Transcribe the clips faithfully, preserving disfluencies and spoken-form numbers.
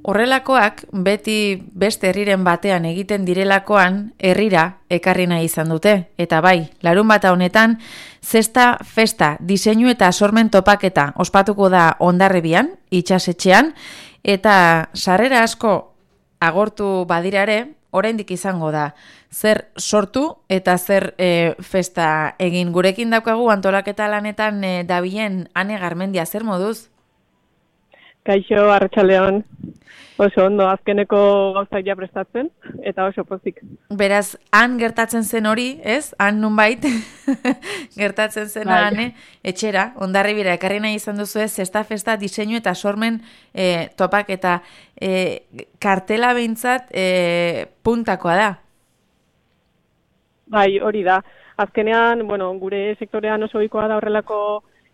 Horrelakoak beti beste herriren batean egiten direlakoan herrira ekarri nahi izan dute. Eta bai, larunbata honetan, zesta festa, diseinu eta sormen topaketa ospatuko da Hondarribian, itsasetxean, eta sarrera asko agortu badirare, oraindik izango da. Zer sortu eta zer e, festa egin. Gurekin daukagu antolaketa lanetan e, dabilen Ane Garmendia, zer moduz? Kaixo, arratsaldeon. Oso ondo, azkeneko gauzak ja prestatzen, eta oso pozik. Beraz, han gertatzen zen hori, ez? Han nunbait, gertatzen zen bai. Ane, etxera, Hondarribira, ekarri nahi izan duzu ez, zesta festa, diseinu eta sormen e, topak eta e, kartela behintzat e, puntakoa da. Bai, hori da. Azkenean, bueno, gure sektorean oso ohikoa da horrelako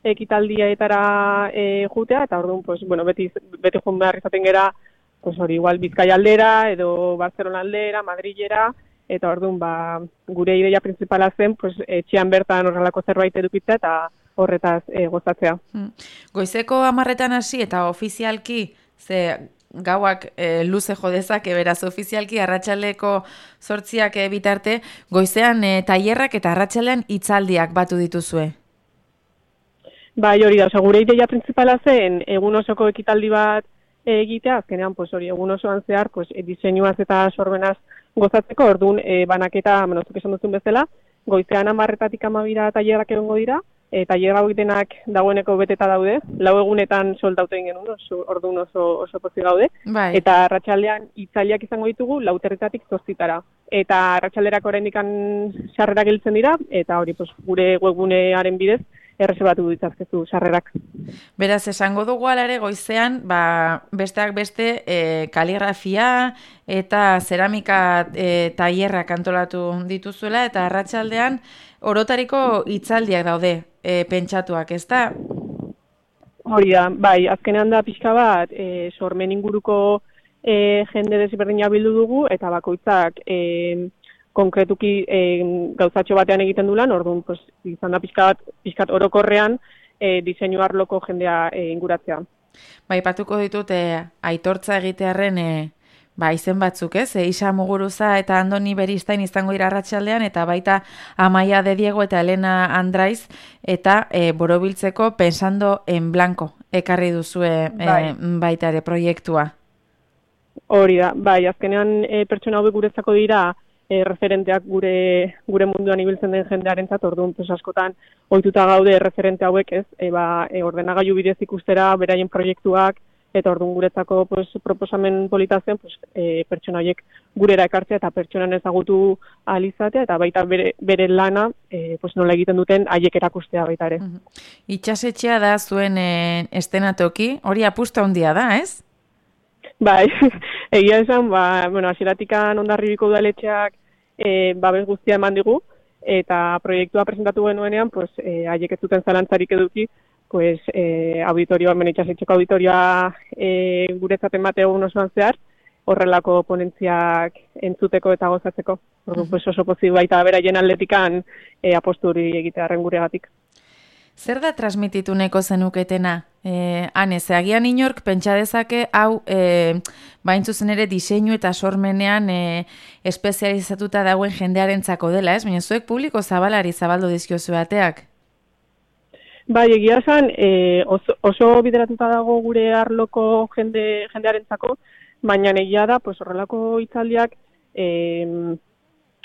ekitaldietara e, jutea, eta orduan, pues, bueno, beti, beti joan behar izaten gera, pues hori, igual Bizkaia aldera, edo Barcelona aldera, Madrilera, eta orduan, ba, gure ideia principala zen, pues, etxean bertan horrelako zerbait edukitzea, eta horretaz e, gozatzea. Goizeko hamarretan hasi, eta ofizialki, ze gauak e, luze jodezak, beraz, ofizialki arratsaldeko zortziak e, bitarte, goizean e, tailerrak eta arratsalean hitzaldiak batu dituzue. Bai, hori da, gure ideia principala zen, egun osoko ekitaldi bat egitea, azkenean, pues, hori, egun osoan zehar, pues, diseinuaz eta sorbenaz gozatzeko, orduan, e, banaketa, menozuk esan duzun bezala, goizean hamarretatik hamabira tailerrak egongo dira, e, tailer hauek denak dagoeneko beteta daude, lau egunetan soldauten genuen, oso, orduan oso, oso pozik gaude, bai. Eta arratsalean hitzaldiak izango ditugu lauterretatik zortzitara. Eta arratsalderako oraindik sarrerak gelditzen dira, eta hori, pues, gure webgunearen bidez, erreserbatu ditzazkezu sarrerak. Beraz, esango dugu alare goizean, ba, besteak beste e, kaligrafia eta zeramika e, tailerrak antolatu dituzuela, eta arratsaldean orotariko hitzaldiak daude e, pentsatuak, ez da? Hori da, bai, azkenean da pixka bat, e, sormen inguruko e, jende desberdina bildu dugu, eta bakoitzak e, konkretuki e, gauzatxo batean egiten du lan, orduan, pues, izan da pixkat, pixkat orokorrean e, diseinu arloko jendea e, inguratzea. Bai, patuko ditut e, aitortza egitearren e, ba, izen batzuk, ez? E, Isa Muguruza eta Andoni Beristain izango dira arratsaldean, eta baita Amaia de Diego eta Elena Andraiz, eta e, borobiltzeko Pensando en Blanco ekarri duzue e, bai. baita ere proiektua. Hori da, bai, azkenean e, pertsona hauek guretzako dira, E, referenteak gure gure munduan ibiltzen den jendearentzat, orduan, pues, askotan ohituta gaude referente hauek, ez? E, ba, e, ordenagailu bidez ikustera beraien proiektuak, eta orduan guretzako, pues, proposamen polita zen, pues, e, pertsona horiek gurera ekartzea eta pertsonan ezagutu ahal izatea, eta baita bere, bere lana, e, pues, nola egiten duten haiek erakustea baita ere. Uh-huh. Itxasetxea da zuen e, estenatoki, hori apustu handia da, ez? Bai, egia esan, ba, bueno, hasieratikan Hondarribiko udaletxeak e, babes guztia eman digu, eta proiektua presentatu genuenean, pues, e, haiek ez zuten zalantzarik eduki, pues, e, auditorioa, menetxasetxeko auditorioa e, guretzat emate egun osoan zehar, horrelako ponentziak entzuteko eta gozatzeko. Orduan, pues, oso pozik baita beraien aldetikan e, aposturi egitearen guregatik. Zer da transmititu neko zenuketena? Eh, Ane, ze agian inork pentsa dezake hau eh, baintzuzen ere diseinu eta sormenean eh, espezializatuta dagoen jendearentzako dela, ez? Baina zuek publiko zabalari zabaldu dizkiozu bateak? Bai, egia esan, eh, oso, oso bideratuta dago gure arloko jende, jendearentzako, baina egia da, pues, horrelako hitzaldiak eh,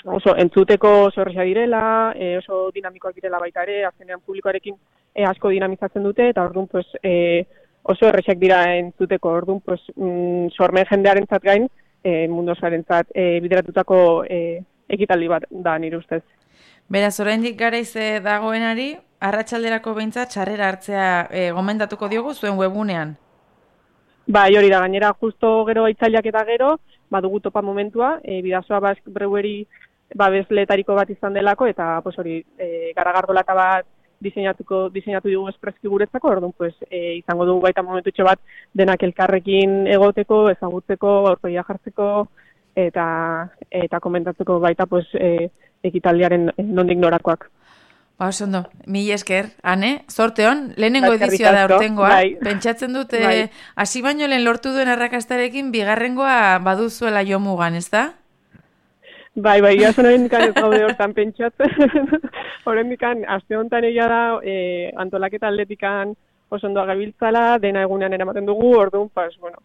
oso entzuteko oso erresa direla, e, oso dinamikoak direla baita ere, azkenean publikoarekin e, asko dinamizatzen dute, eta orduan, pues, e, oso erresak dira entzuteko, orduan, pues, mm, sormen jendearentzat gain, e, mundu osoarentzat e, bideratutako e, ekitaldi bat da nire ustez. Beraz, oraindik garaiz dagoenari, arratsalderako behintzat sarrera hartzea e, gomendatuko diogu zuen webunean. Bai, hori da, gainera, justo gero hitzaldiak eta gero, badugu topa momentua, e, Bidasoa Basque Brewery babesleetariko bat izan delako, eta, pues, hori, e, garagardolata bat diseinatuko, diseinatu dugu espreski guretzako, orduan, pues, e, izango dugu baita momentutxo bat denak elkarrekin egoteko, ezagutzeko, aurpegia jartzeko, eta eta komentatzeko baita, pues, e, ekitaldiaren nondik norakoak. Ba, osondo, mil esker, ane, zorte hon, lehenengo Eskerrik edizioa da asko, urtengoa, bai. pentsatzen dute, Bai. hasi baino lehen lortu duen arrakastarekin, bigarrengoa baduzuela jo mugan, ez da? Bai, bai, jason horrendikan ez gaude hortan pentsatzen. Horrendikan, aste honetan egia da, e, antolaketa atletikan oso ondoa gabiltzala, dena egunean eramaten dugu, orduan, pas, bueno,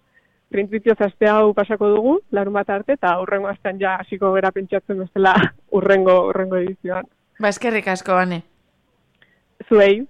printzipioz aste hau pasako dugu, larun bat arte, eta urrengo astean ja hasiko gera pentsatzen bezala urrengo, urrengo edizioan. Ba, eskerrik asko, ane. Zuei.